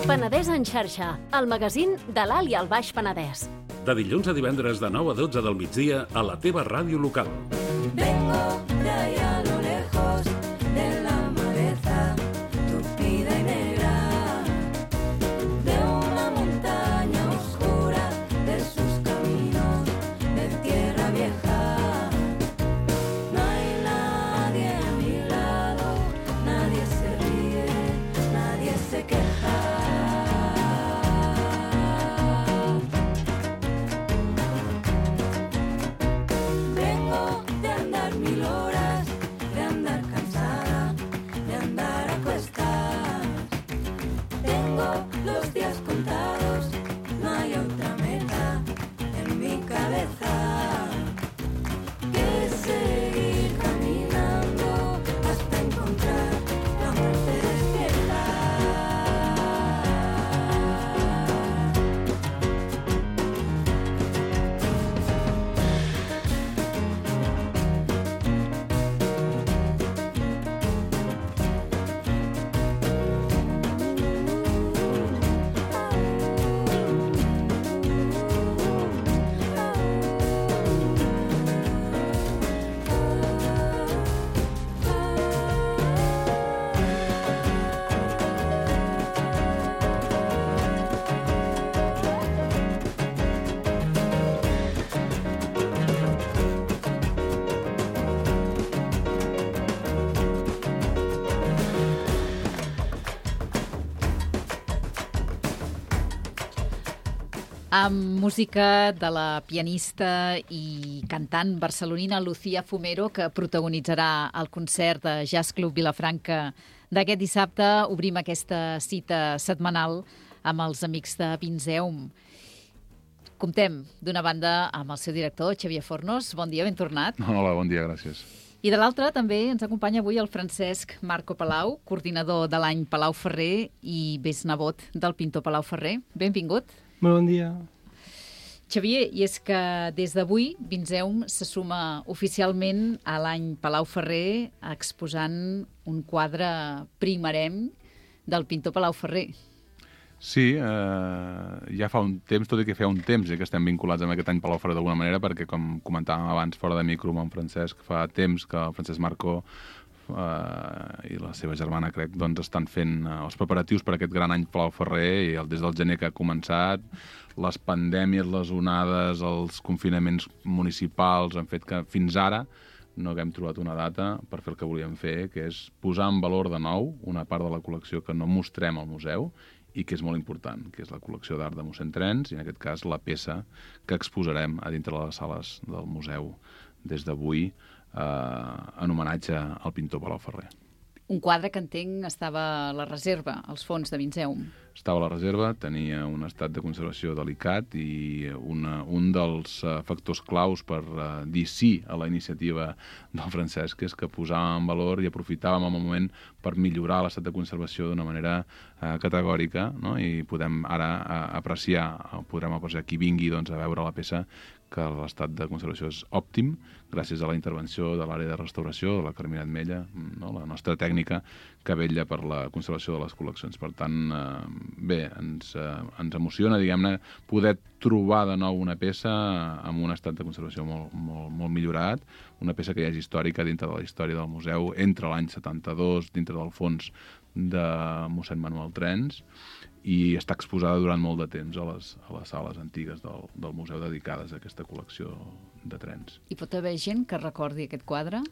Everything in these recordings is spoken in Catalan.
Penedès en xarxa, el magazín de l'Alt i el Baix Penedès. De dilluns a divendres de 9 a 12 del migdia a la teva ràdio local. Vengo de allá a lo lejos de la maleza tupida y negra, de una montaña oscura, de sus caminos de tierra vieja. No hay nadie a mi lado, nadie se ríe, nadie se queja. Vengo de andar 1000 horas, de andar cansada, de andar a cuestas. Tengo los días contados, no hay otra meta en mi cabeza que seguir caminando hasta encontrar la muerte despierta. Amb música de la pianista i cantant barcelonina Lucía Fumero, que protagonitzarà el concert de Jazz Club Vilafranca d'aquest dissabte, obrim aquesta cita setmanal amb els amics de Vinzeum. Comptem, d'una banda, amb el seu director, Xavier Fornos. Bon dia, ben tornat. Hola, bon dia, gràcies. I de l'altra també ens acompanya avui el Francesc Marco Palau, coordinador de l'any Palau Ferrer i besnebot del pintor Palau Ferrer. Benvingut. Molt bon dia. Xavier, i és que des d'avui Vinzeum se suma oficialment a l'any Palau Ferrer exposant un quadre primerenc del pintor Palau Ferrer. Sí, ja fa un temps, tot i que fa un temps que estem vinculats amb aquest any Palau Ferrer d'alguna manera, perquè com comentàvem abans fora de micro amb en Francesc, fa temps que el Francesc Marco i la seva germana, crec, doncs estan fent els preparatius per aquest gran any Palau Ferrer, i des del gener que ha començat, les pandèmies, les onades, els confinaments municipals han fet que fins ara no haguem trobat una data per fer el que volíem fer, que és posar en valor de nou una part de la col·lecció que no mostrem al museu i que és molt important, que és la col·lecció d'art de mossèn Trens, i en aquest cas la peça que exposarem a dintre de les sales del museu des d'avui, en homenatge al pintor Palau Ferrer. Un quadre que entenc estava a la reserva, als fons de Vinzeum. Estava a la reserva, tenia un estat de conservació delicat i un dels factors claus per dir sí a la iniciativa del Francesc és que posàvem en valor i aprofitàvem el moment per millorar l'estat de conservació d'una manera categòrica, no? I podrem ara podrem apreciar qui vingui a veure la peça, que l'estat de conservació és òptim, gràcies a la intervenció de l'àrea de restauració, de la Carmina Atmella, no? La nostra tècnica que vetlla per la conservació de les col·leccions. Per tant, bé, ens emociona, diguem-ne, poder trobar de nou una peça amb un estat de conservació molt millorat, una peça que ja és històrica dintre de la història del museu, entre l'any 72, dintre del fons de mossèn Manuel Trens, i està exposada durant molt de temps a les sales antigues del museu dedicades a aquesta col·lecció de trens. Hi pot haver gent que recordi aquest quadre?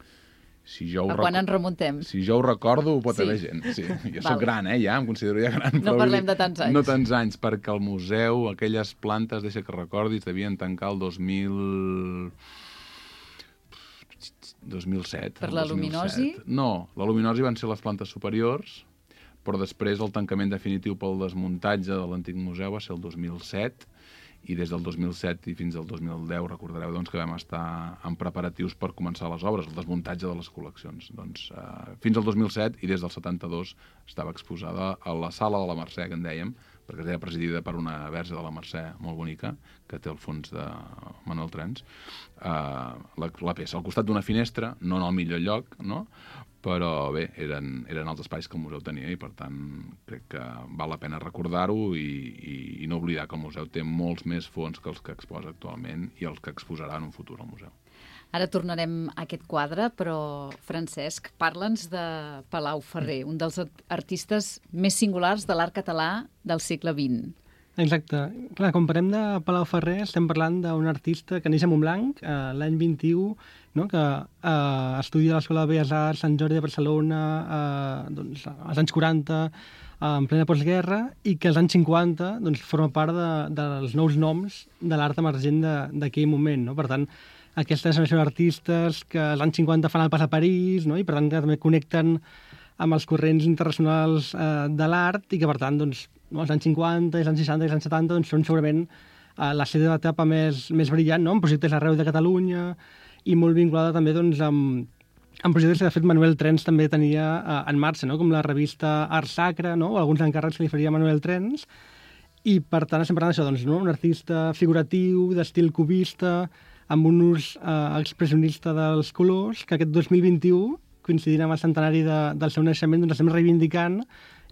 Quan ens remuntem? Si jo ho recordo, pot haver gent. Sí. Jo soc gran, ja em considero ja gran. No parlem de tants anys. No tants anys, perquè el museu, aquelles plantes, deixa que recordis, devien tancar el 2007. Per la luminosi? No, la luminosi van ser les plantes superiors, però després el tancament definitiu pel desmuntatge de l'antic museu va ser el 2007, i des del 2007 i fins al 2010 recordareu que vam estar en preparatius per començar les obres, el desmuntatge de les col·leccions. Fins al 2007 i des del 72 estava exposada a la sala de la Mercè, que en dèiem, perquè era presidida per una verge de la Mercè molt bonica, que té el fons de Manuel Trens, la peça al costat d'una finestra, no en el millor lloc, no? Però bé, eren els espais que el museu tenia i, per tant, crec que val la pena recordar-ho i no oblidar que el museu té molts més fons que els que exposa actualment i els que exposarà en un futur al museu. Ara tornarem a aquest quadre, però, Francesc, parla'ns de Palau Ferrer, un dels artistes més singulars de l'art català del segle XX. Exacte. Clar, quan parlem de Palau Ferrer estem parlant d'un artista que neix a Montblanc l'any 21, no? Que estudia a l'Escola de Belles Arts Sant Jordi de Barcelona doncs, als anys 40, en plena postguerra, i que als anys 50 doncs, forma part dels nous noms de l'art emergent d'aquell moment. No? Per tant, aquesta generació d'artistes que als anys 50 fan el pas a París, no? I per tant que també connecten amb els corrents internacionals de l'art i que per tant doncs, als anys 50, als anys 60 i als anys 70 doncs, són segurament la seva etapa més brillant, no? Amb projectes arreu de Catalunya i molt vinculada també doncs, amb projectes que de fet Manuel Trens també tenia en marxa, no? Com la revista Art Sacra, no? O alguns encàrrecs que li faria Manuel Trens. I per tant estem parlant d'això, doncs, no? Un artista figuratiu, d'estil cubista, amb un ús expressionista dels colors, que aquest 2021, coincidint amb el centenari del seu naixement, doncs estem reivindicant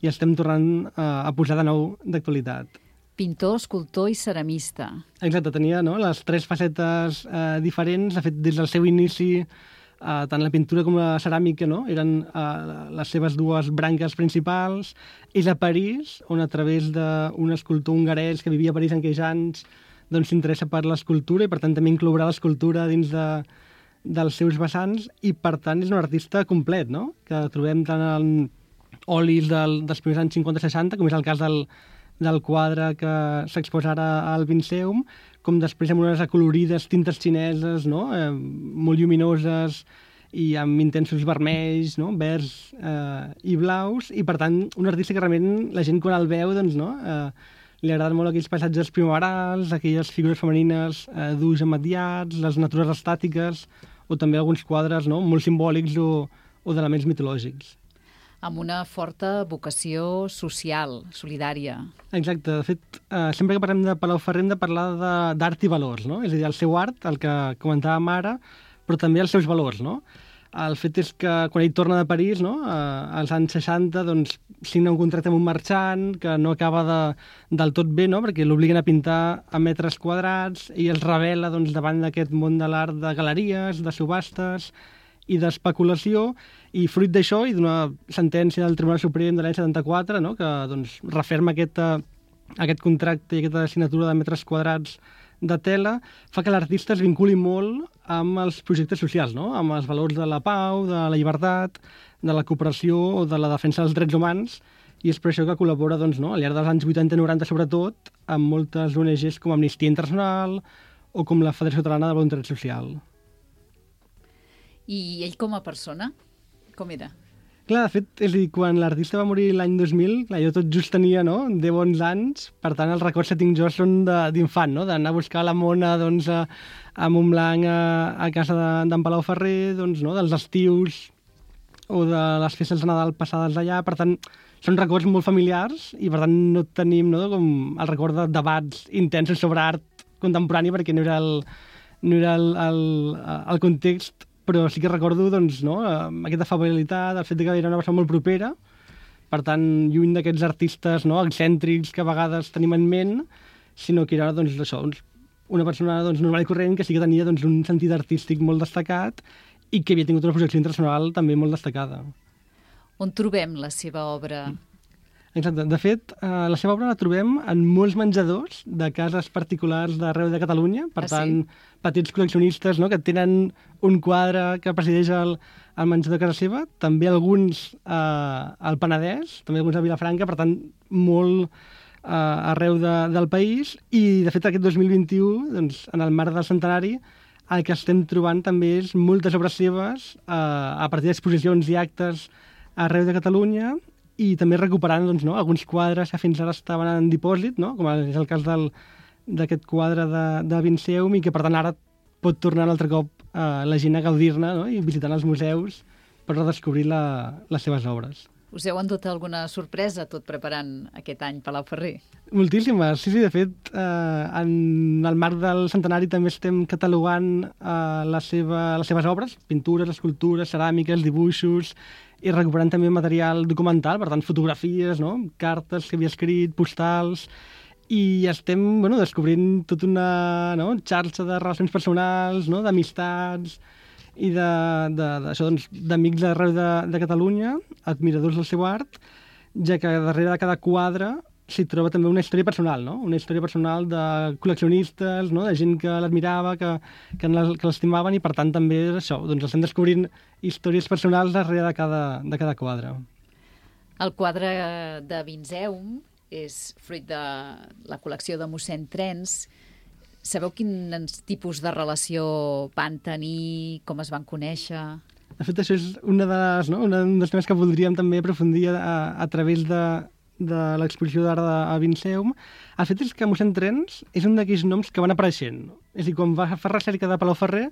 i estem tornant a posar de nou d'actualitat. Pintor, escultor i ceramista. Exacte, tenia no, les tres facetes diferents. De fet, des del seu inici, tant la pintura com la ceràmica no, eren les seves dues branques principals. És a París, on a través d'un escultor hongarès que vivia a París en aquells anys doncs s'interessa per l'escultura i per tant també inclourà l'escultura dins dels seus vessants i per tant és un artista complet, no? Que trobem tant en olis dels primers anys 50-60, com és el cas del quadre que s'exposa ara al Vinceum, com després amb unes acolorides tintes xineses, no? Molt lluminoses i amb intensos vermells, no? Verds i blaus, i per tant un artista que realment la gent quan el veu doncs, no? Li agraden molt aquells paisatges primaverals, aquelles figures femenines d'ulls amadiats, les natures estàtiques, o també alguns quadres no? Molt simbòlics o d'elements mitològics. Amb una forta vocació social, solidària. Exacte. De fet, sempre que parlem de Palau Ferrer hem de parlar d'art i valors, no? És a dir, el seu art, el que comentàvem ara, però també els seus valors, no? El fet és que quan ell torna de París, no? Als anys 60, doncs, signa un contracte amb un marxant que no acaba del tot bé, no? Perquè l'obliguen a pintar a metres quadrats i es revela doncs, davant d'aquest món de l'art de galeries, de subhastes i d'especulació, i fruit d'això i d'una sentència del Tribunal Suprem de l'any 74, no? Que doncs, referma aquest contracte i aquesta assignatura de metres quadrats de tela, fa que l'artista es vinculi molt amb els projectes socials, no? Amb els valors de la pau, de la llibertat, de la cooperació o de la defensa dels drets humans, i és per això que col·labora doncs, no? Al llarg dels anys 80 i 90 sobretot amb moltes ONGs com Amnistia Internacional o com la Federació Catalana de Voluntariat Social. I ell com a persona, com era? Clar, de fet, és a dir, quan l'artista va morir l'any 2000, clar, jo tot just tenia, no?, 10 anys, per tant, els records que tinc jo són d'infant, no?, d'anar a buscar la mona, doncs, a Montblanc, a casa d'en Palau Ferrer, doncs, no?, dels estius o de les festes de Nadal passades allà, per tant, són records molt familiars i, per tant, no tenim, no?, com el record de debats intensos sobre art contemporani, perquè no era el context, però sí que recordo doncs, no, aquesta afabilitat, el fet que era una persona molt propera, per tant, lluny d'aquests artistes no, excèntrics que a vegades tenim en ment, sinó que era doncs, això, una persona doncs, normal i corrent que sí que tenia doncs, un sentit artístic molt destacat i que havia tingut una projecció internacional també molt destacada. On trobem la seva obra? Exacte. De fet, la seva obra la trobem en molts menjadors de cases particulars d'arreu de Catalunya, per tant, petits col·leccionistes no, que tenen un quadre que presideix el menjador de casa seva, també alguns al Penedès, també alguns a Vilafranca, per tant, molt arreu del país, i de fet aquest 2021, doncs, en el marc del centenari, el que estem trobant també és moltes obres seves a partir d'exposicions i actes arreu de Catalunya, i també recuperant doncs, no, alguns quadres que fins ara estaven en dipòsit, no, com és el cas d'aquest quadre de Vinceum, i que per tant ara pot tornar un altre cop la gent a gaudir-ne no, i visitant els museus per redescobrir les seves obres. Us heu endut alguna sorpresa tot preparant aquest any Palau Ferrer? Moltíssimes, sí, de fet, en el marc del centenari també estem catalogant les seves obres, pintures, escultures, ceràmiques, dibuixos, i recuperant també material documental, per tant, fotografies, no? Cartes que havia escrit, postals, i estem descobrint tota una xarxa de relacions personals, no? D'amistats, i d'amics d'arreu de Catalunya, admiradors del seu art, ja que darrere de cada quadre s'hi troba també una història personal, no? Una història personal de col·leccionistes, no? De gent que l'admirava, que l'estimaven, i per tant també això, estem descobrint històries personals darrere de cada quadre. El quadre de Vinzeum és fruit de la col·lecció de mossèn Trens. Sabeu quins tipus de relació van tenir, com es van conèixer? De fet, això és un dels temes que voldríem també aprofundir a través de l'exposició d'art a Vinzeum. El fet és que mossèn Trens és un d'aquells noms que van apareixent. És a dir, quan va fer recerca de Palau Ferrer,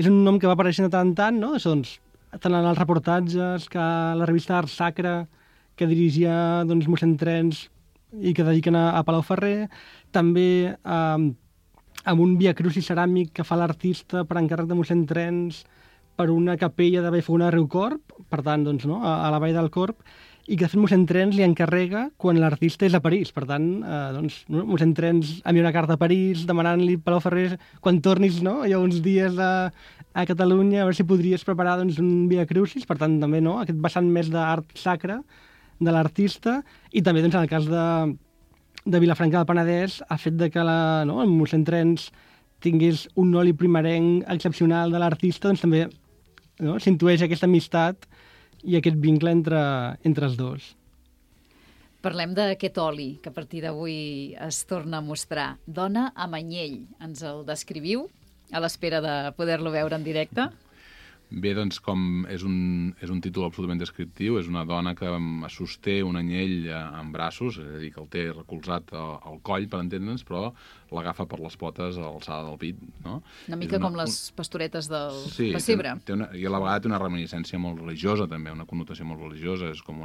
és un nom que va apareixent de tant en tant, no? Tant en els reportatges, que a la revista Art Sacre, que dirigia mossèn Trens i que dediquen a Palau Ferrer, també amb un viacrucis ceràmic que fa l'artista per encàrrec de mossèn Trens per una capella de Vallfogona de Riucorb, per tant, a la vall del Corb, i que de fet mossèn Trens li encarrega quan l'artista és a París. Per tant, mossèn Trens envia una carta a París demanant-li, Palau Ferrer, quan tornis, hi ha uns dies a Catalunya, a veure si podries preparar un viacrucis. Per tant, també aquest vessant més d'art sacre de l'artista, i també en el cas de Vilafranca del Penedès, el fet de que el mossèn Trens tingués un oli primerenc excepcional de l'artista, també s'intueix aquesta amistat i aquest vincle entre els dos. Parlem d'aquest oli que a partir d'avui es torna a mostrar. Dona amb anyell, ens el descriviu a l'espera de poder-lo veure en directe? Bé, doncs, com és un títol absolutament descriptiu, és una dona que sosté un anyell en braços, és a dir, que el té recolzat al coll, per entendre'ns, però l'agafa per les potes a l'alçada del pit, no? Una mica com les pastoretes del pessebre. Sí, i a la vegada té una reminiscència molt religiosa, també, una connotació molt religiosa, és com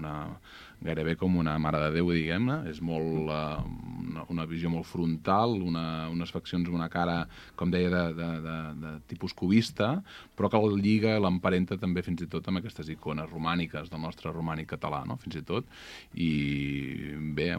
gairebé com una mare de Déu, diguem-ne, és molt una visió molt frontal, unes faccions, una cara, com deia, de tipus cubista, però que el lliga, l'emparenta també fins i tot amb aquestes icones romàniques del nostre romànic català, no? Fins i tot. I bé,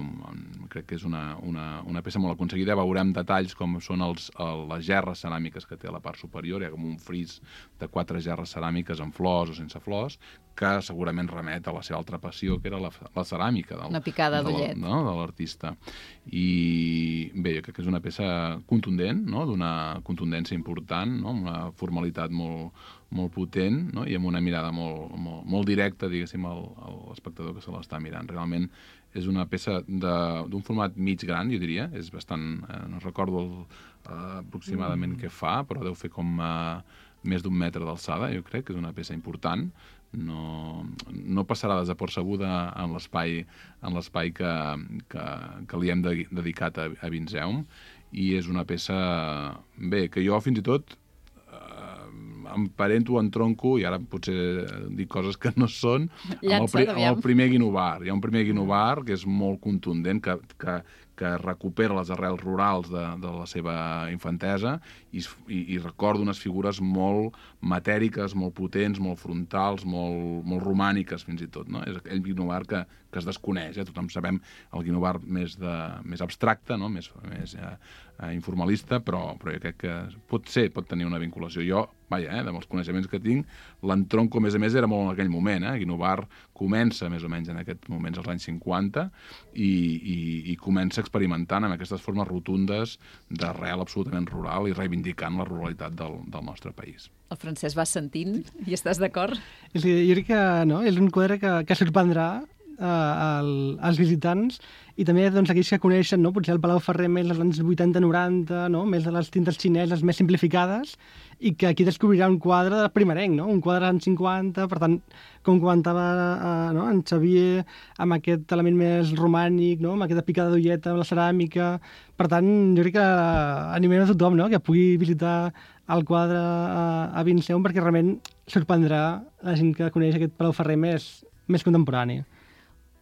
crec que és una peça molt aconseguida. Veurem detalls com són les gerres ceràmiques que té a la part superior. Hi ha com un fris de 4 gerres ceràmiques amb flors o sense flors, que segurament remet a la seva altra passió, que era la ceràmica una picada d'ullet, de l'artista. I bé, jo crec que és una peça contundent, no? D'una contundència important, no? Amb una formalitat molt potent, no? I amb una mirada molt directa, diguéssim, a l'espectador que se l'està mirant. Realment és una peça d'un format mig gran, jo diria. És bastant... no recordo aproximadament què fa, però deu fer com més d'1 metre d'alçada. Jo crec que és una peça important. No passarà desapercebuda en l'espai que li hem dedicat a Vinzeum, i és una peça, bé, que jo fins i tot emparento, entronco, i ara potser dic coses que no són, amb el primer Guinovar. Hi ha un primer Guinovar que és molt contundent, que recupera les arrels rurals de la seva infantesa i recorda unes figures molt matèriques, molt potents, molt frontals, molt romàniques fins i tot, no? És aquell Guinovar que es desconeix. Tothom sabem el Guinovar més abstracte, no? Més informalista, però jo crec que pot tenir una vinculació. Jo, amb els coneixements que tinc, l'entronco, a més, era molt en aquell moment. Guinovar comença més o menys en aquests moments, als anys 50, i comença experimentant amb aquestes formes rotundes d'arrel absolutament rural i reivindicant la ruralitat del nostre país. El Francesc va sentint i estàs d'acord? Sí, jo crec que és un quadre que sorprendrà als visitants, i també aquells que coneixen potser el Palau Ferrer més dels anys 80-90, més de les tintes xineses més simplificades, i que aquí descobrirà un quadre primerenc, un quadre dels anys 50, per tant, com comentava en Xavier, amb aquest element més romànic, amb aquesta picada d'ulleta amb la ceràmica. Per tant, jo crec que animem a tothom que pugui visitar el quadre a Vinzeum, perquè realment sorprendrà la gent que coneix aquest Palau Ferrer més contemporani.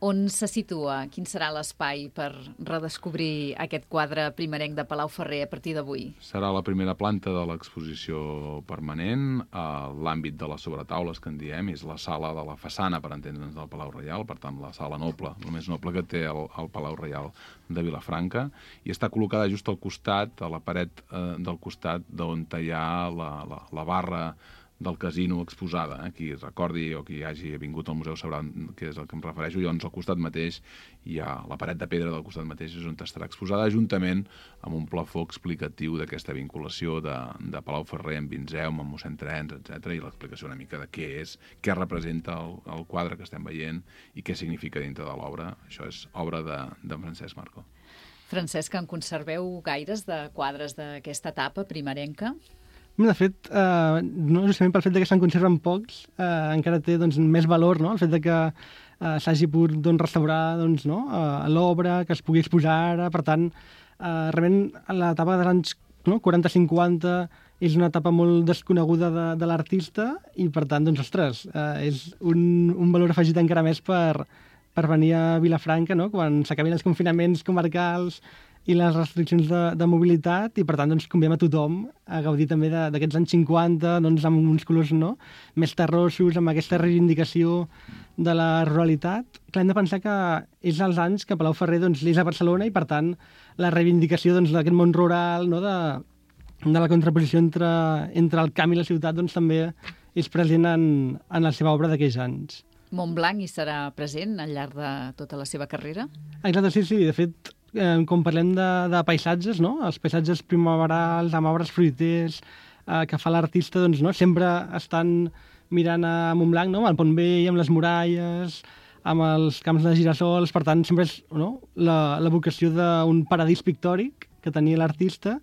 On se situa? Quin serà l'espai per redescobrir aquest quadre primerenc de Palau Ferrer a partir d'avui? Serà la primera planta de l'exposició permanent, l'àmbit de les sobretaules, que en diem, és la sala de la façana, per entendre'ns, del Palau Reial, per tant, la sala noble, el més noble que té el Palau Reial de Vilafranca, i està col·locada just al costat, a la paret del costat d'on hi ha la barra del casino exposada. Qui recordi o qui hagi vingut al museu sabrà què és el que em refereixo. Llavors, al costat mateix hi ha la paret de pedra del costat mateix, és on estarà exposada, juntament amb un plafó explicatiu d'aquesta vinculació de Palau Ferrer amb Vinzeum, amb mossèn Trens, etc., i l'explicació una mica de què és, què representa el quadre que estem veient i què significa dintre de l'obra. Això és obra de Francesc Marco. Francesc, en conserveu gaires de quadres d'aquesta etapa primerenca? De fet, no justament pel fet que se'n conserven pocs, encara té doncs, més valor, no? El fet que s'hagi pogut restaurar l'obra, que es pugui exposar ara. Per tant, realment l'etapa dels anys 40-50 és una etapa molt desconeguda de l'artista i, per tant, doncs, ostres, és un valor afegit encara més per venir a Vilafranca, no? Quan s'acabin els confinaments comarcals i les restriccions de mobilitat, i per tant doncs, convidem a tothom a gaudir també d'aquests anys 50, doncs, amb uns colors més terrossos, amb aquesta reivindicació de la ruralitat. Clar, hem de pensar que és els anys que Palau Ferrer doncs, és a Barcelona i per tant la reivindicació d'aquest món rural, de la contraposició entre el camp i la ciutat doncs, també és present en la seva obra d'aquells anys. Montblanc hi serà present al llarg de tota la seva carrera? Exacte, sí. De fet, quan parlem de paisatges, els paisatges primaverals, amb arbres fruiters, que fa l'artista, doncs, sempre estan mirant a Montblanc, amb el Pont Vell, amb les muralles, amb els camps de girassols. Per tant, sempre és la vocació d'un paradís pictòric que tenia l'artista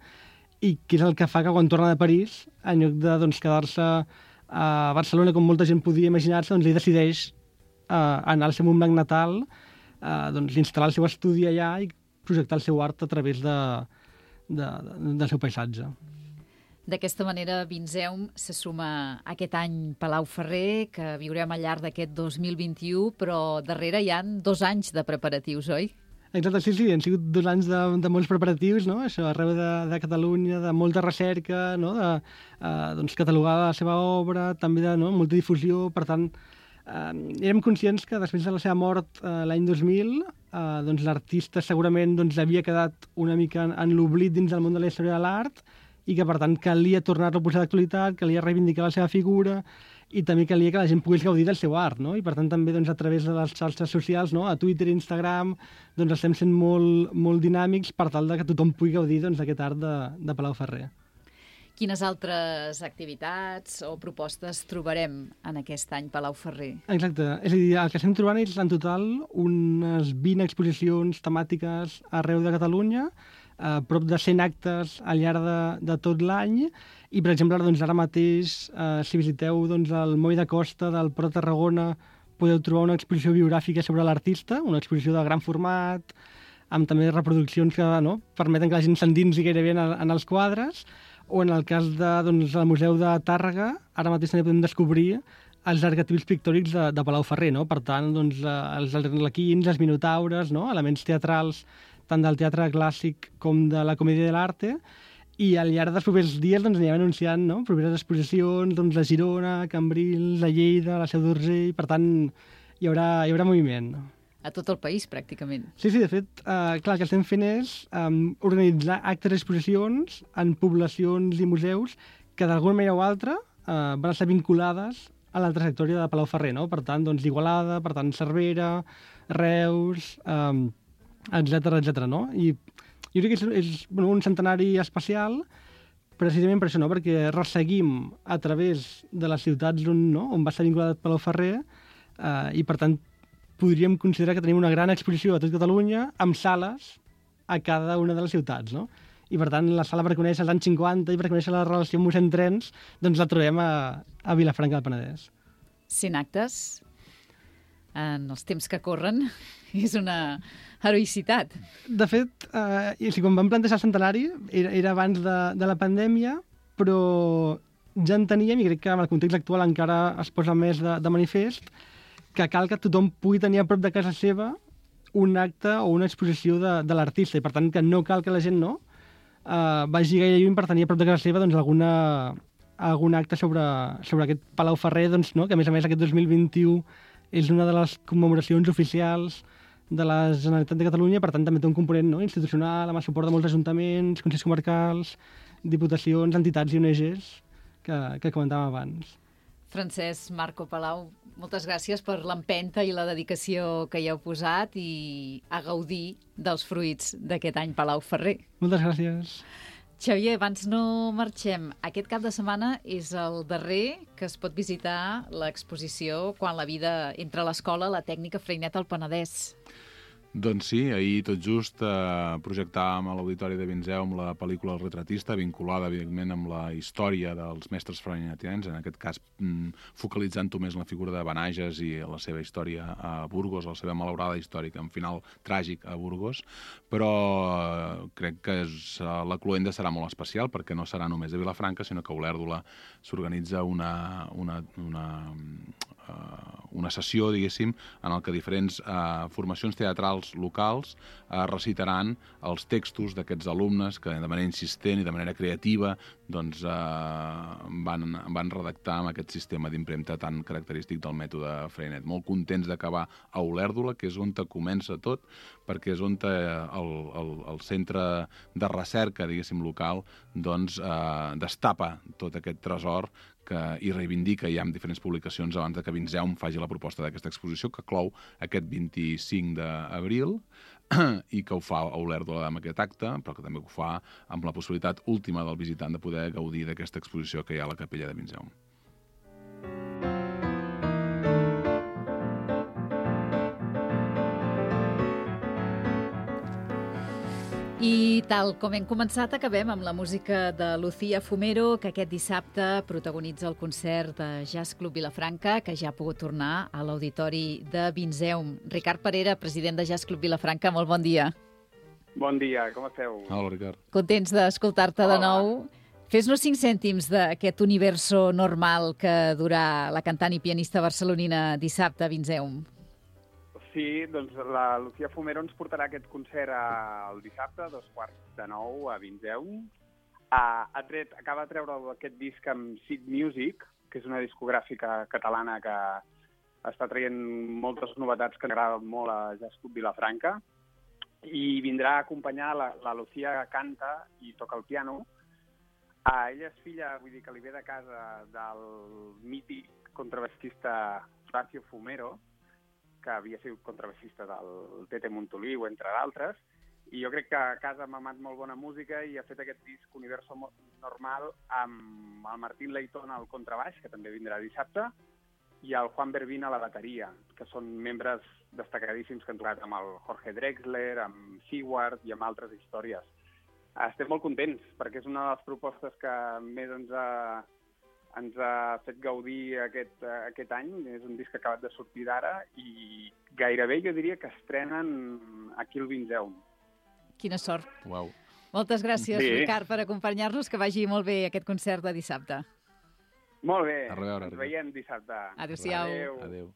i que és el que fa que quan torna de París, en lloc de quedar-se a Barcelona, com molta gent podia imaginar-se, ell decideix anar al seu Montblanc natal, instal·lar el seu estudi allà i projectar el seu art a través del seu paisatge. D'aquesta manera, Vinzeum se suma aquest any Palau Ferrer, que viurem al llarg d'aquest 2021, però darrere hi han 2 anys de preparatius, oi? Exacte, sí, han sigut 2 anys de molts preparatius, això arreu de Catalunya, de molta recerca, de catalogar la seva obra, també de molta difusió. Per tant, érem conscients que després de la seva mort l'any 2000, l'artista segurament havia quedat una mica en l'oblit dins del món de la història de l'art i que, per tant, calia tornar-lo a posar d'actualitat, calia reivindicar la seva figura i també calia que la gent pogués gaudir del seu art, I per tant també a través de les xarxes socials, a Twitter i Instagram, estem sent molt dinàmics per tal que tothom pugui gaudir d'aquest art de Palau Ferrer. Quines altres activitats o propostes trobarem en aquest any Palau Ferrer? Exacte, és a dir, el que estem trobant és en total unes 20 exposicions temàtiques arreu de Catalunya, prop de 100 actes al llarg de tot l'any, i per exemple ara mateix, si visiteu el Moll de Costa del Port de Tarragona, podeu trobar una exposició biogràfica sobre l'artista, una exposició de gran format, amb també reproduccions que permeten que la gent s'endinsi gairebé en els quadres, o en el cas del Museu de Tàrrega, ara mateix també podem descobrir els arquetips pictòrics de Palau Ferrer, Per tant, els arlequins, els minotaures, elements teatrals tant del teatre clàssic com de la comèdia de l'arte, i al llarg dels propers dies anirem anunciant properes exposicions a Girona, a Cambrils, a Lleida, a la Seu d'Urgell. Per tant, hi haurà moviment. A tot el país, pràcticament. Sí, de fet, clar, el que estem fent és organitzar actes i exposicions en poblacions i museus que d'alguna manera o altra van estar vinculades a la trajectòria de Palau Ferrer, Per tant, Igualada, per tant, Cervera, Reus, etc. I jo crec que és un centenari especial precisament per això, perquè resseguim a través de les ciutats on va estar vinculat Palau Ferrer i, per tant, podríem considerar que tenim una gran exposició a tot Catalunya amb sales a cada una de les ciutats, I, per tant, la sala per conèixer els anys 50 i per conèixer la relació amb mossèn Trens, la trobem a Vilafranca del Penedès. 100 actes en els temps que corren és una heroïcitat. De fet, quan vam plantejar el centenari era abans de la pandèmia, però ja en teníem, i crec que en el context actual encara es posa més de manifest, que cal que tothom pugui tenir a prop de casa seva un acte o una exposició de l'artista, i per tant que no cal que la gent vagi gaire lluny per tenir a prop de casa seva doncs, algun acte sobre aquest Palau Ferrer, doncs, no? Que a més aquest 2021 és una de les commemoracions oficials de la Generalitat de Catalunya, per tant també té un component, no? Institucional, amb el suport de molts ajuntaments, consells comarcals, diputacions, entitats i ONGs que comentàvem abans. Francesc Marco Palau, moltes gràcies per l'empenta i la dedicació que hi heu posat i a gaudir dels fruits d'aquest any Palau Ferrer. Moltes gràcies. Xavier, abans no marxem. Aquest cap de setmana és el darrer que es pot visitar l'exposició Quan la vida entra a l'escola, la tècnica Freinet al Penedès. Doncs sí, ahir tot just projectàvem a l'Auditori de Vinzeu la pel·lícula El retratista, vinculada, evidentment, amb la història dels mestres freinetians, en aquest cas focalitzant-ho més en la figura de Benages i la seva història a Burgos, la seva malaurada històrica, en final tràgic a Burgos, però crec que la cloenda serà molt especial, perquè no serà només a Vilafranca, sinó que a Olèrdola s'organitza una sessió, diguéssim, en el que diferents formacions teatrals locals recitaran els textos d'aquests alumnes que de manera insistent i de manera creativa doncs, van redactar amb aquest sistema d'impremta tan característic del mètode Freinet. Molt contents d'acabar a Olèrdola, que és on comença tot, perquè és on el centre de recerca, diguéssim, local, doncs, destapa tot aquest tresor i reivindica ja amb diferents publicacions abans de que Vinzeum faci la proposta d'aquesta exposició, que clou aquest 25 d'abril i que ho fa a Olèrdola amb aquest acte, però que també ho fa amb la possibilitat última del visitant de poder gaudir d'aquesta exposició que hi ha a la capella de Vinzeum. I tal com hem començat, acabem amb la música de Lucía Fumero, que aquest dissabte protagonitza el concert de Jazz Club Vilafranca, que ja ha pogut tornar a l'Auditori de Vinzeum. Ricard Parera, president de Jazz Club Vilafranca, molt bon dia. Bon dia, com esteu? Hola, Ricard. Contents d'escoltar-te de nou. Fes-nos 5 cèntims d'aquest universo normal que durà la cantant i pianista barcelonina dissabte a Vinzeum. Sí, doncs la Lucía Fumero ens portarà aquest concert el dissabte a 8:45 a Vinzeum. Acaba de treure aquest disc amb Seed Music, que és una discogràfica catalana que està traient moltes novetats que agraden molt a Jazz Club Vilafranca, i vindrà a acompanyar la Lucía, que canta i toca el piano. Ella és filla, vull dir que li ve de casa del mític contrabaixista Horacio Fumero, que havia sigut contrabaixista del Tete Montoliu, entre d'altres, i jo crec que a casa ha mamat molt bona música i ha fet aquest disc Universo Normal amb el Martín Leitón al contrabaix, que també vindrà dissabte, i el Juan Berbín a la bateria, que són membres destacadíssims que han tocat amb el Jorge Drexler, amb Seward i amb altres històries. Estem molt contents, perquè és una de les propostes que més ens ha fet gaudir aquest any. És un disc que ha acabat de sortir d'ara i gairebé jo diria que estrenen aquí al Vinzeum. Quina sort. Uau. Moltes gràcies, Sí. Ricard, per acompanyar-nos. Que vagi molt bé aquest concert de dissabte. Molt bé, A reveure, ens veiem dissabte. Adéu-siau. Adéu.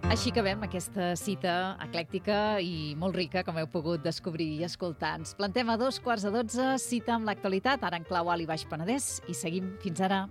Així acabem aquesta cita eclèctica i molt rica, com heu pogut descobrir i escoltar. Ens plantem a 12:15, cita amb l'actualitat, ara en clau Alt i Baix Penedès, i seguim fins ara.